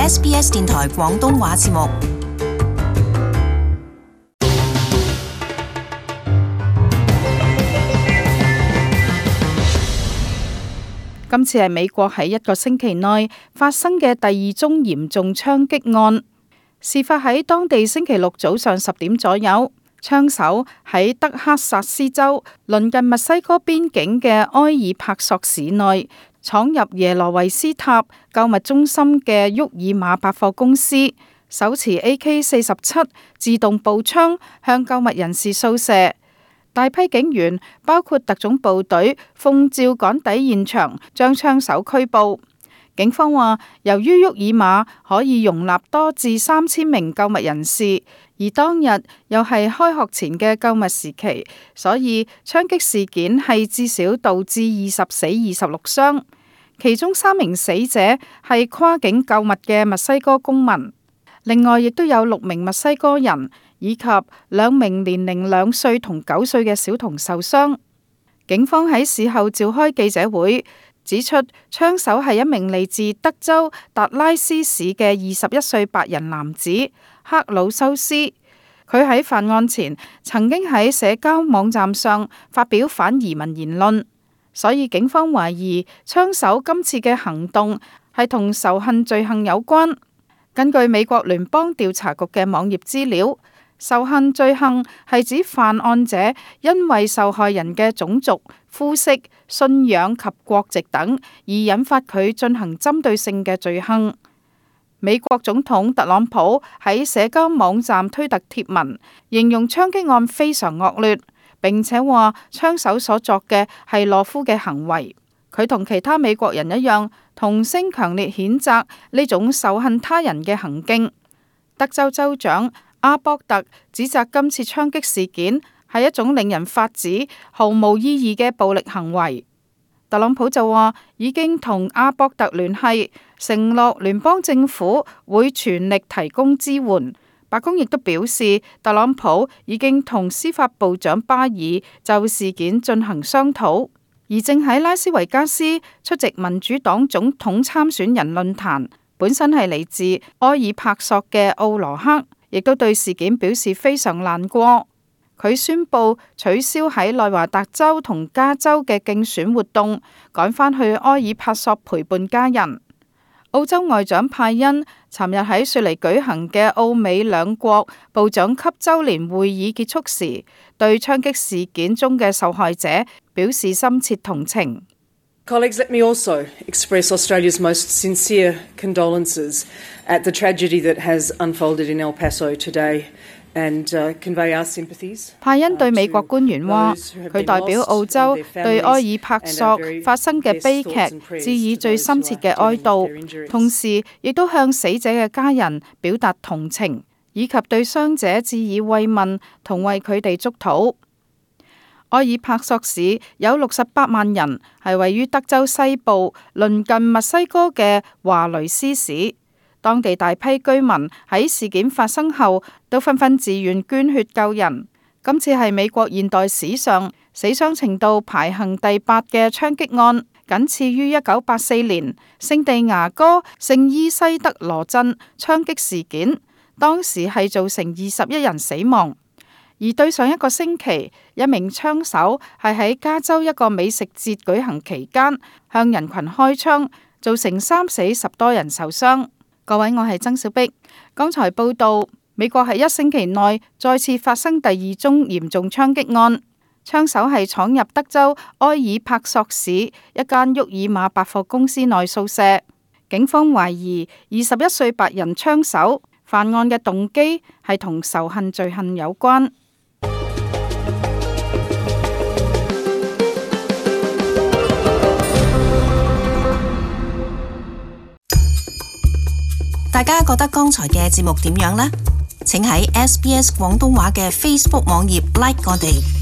SBS 電台廣東話節目。今次係美國喺一個星期內發生嘅第二宗嚴重槍擊案，事發喺當地星期六早上10點左右。槍手喺德克薩斯州鄰近墨西哥邊境嘅埃爾帕索市內闖入耶羅維斯塔購物中心嘅沃爾瑪百貨公司，手持 AK-47 自動步槍向購物人士掃射。大批警員包括特種部隊奉召趕抵現場，將槍手拘捕。警方話，由於沃爾瑪可以容納多至3000名購物人士，而當日又係開學前嘅購物時期，所以槍擊事件係至少導致20死26傷，其中3名死者係跨境購物嘅墨西哥公民，另外亦都有6名墨西哥人以及2名年齡2歲同9歲嘅小童受傷。警方喺事後召開記者會，指出槍手係一名嚟自德州達拉斯市嘅21歲白人男子克魯修斯。佢喺犯案前曾經喺社交網站上發表反移民言論，所以警方懷疑槍手今次嘅行動係同仇恨罪行有關。根據美國聯邦調查局嘅網頁資料，仇恨罪行係指犯案者因為受害人嘅種族、膚色、信仰及國籍等而引發佢進行針對性嘅罪行。美國總統特朗普喺社交網站推特貼文，形容槍擊案非常惡劣，並且話槍手所作嘅係懦夫嘅行為。佢同其他美國人一樣，同聲強烈譴責呢種仇恨他人嘅行徑。德州州長阿博特指責今次槍擊事件係一種令人髮指、毫無意義嘅暴力行為。特朗普就話已經同阿博特聯繫，承諾聯邦政府會全力提供支援。白宮亦都表示，特朗普已經同司法部長巴爾就事件進行商討，而正喺拉斯維加斯出席民主黨總統參選人論壇，本身係嚟自埃爾帕索嘅奧羅克，亦都對事件表示非常難過。佢宣布取消喺內華達州同加州嘅競選活動，趕返去埃爾帕索陪伴家人。澳洲外長派恩尋日喺雪梨舉行嘅澳美兩國部長級周年會議結束時，對槍擊事件中嘅受害者表示深切同情。Colleagues, let me also express Australia's most sincere condolences at the tragedy that has unfolded in El Paso today and convey our sympathies. 派恩對美國官員話，佢代表澳洲對埃爾帕索發生嘅悲劇致以最深切嘅哀悼，同時亦都向死者嘅家人表達同情，以及對傷者致以慰問同為佢哋祝禱。埃爾帕索市有68萬人，係位於德州西部鄰近墨西哥嘅華雷斯市。當地大批居民喺事件發生後都紛紛自願捐血救人。今次係美國現代史上死傷程度排行第8嘅槍擊案，僅次於1984年聖地牙哥聖伊西德羅鎮槍擊事件，當時係造成21人死亡。而對上一個星期，一名槍手係喺加州一個美食節舉行期間向人群開槍，造成3死10多人受傷。各位，我係曾小碧。剛才報道，美國喺1星期內再次發生第2宗嚴重槍擊案，槍手係闖入德州埃爾帕索市一間沃爾瑪百貨公司內掃射。警方懷疑21歲白人槍手犯案嘅動機係同仇恨罪行有關。大家覺得剛才嘅節目點樣呢？請喺SBS 廣東話嘅 Facebook 網頁 like 我哋。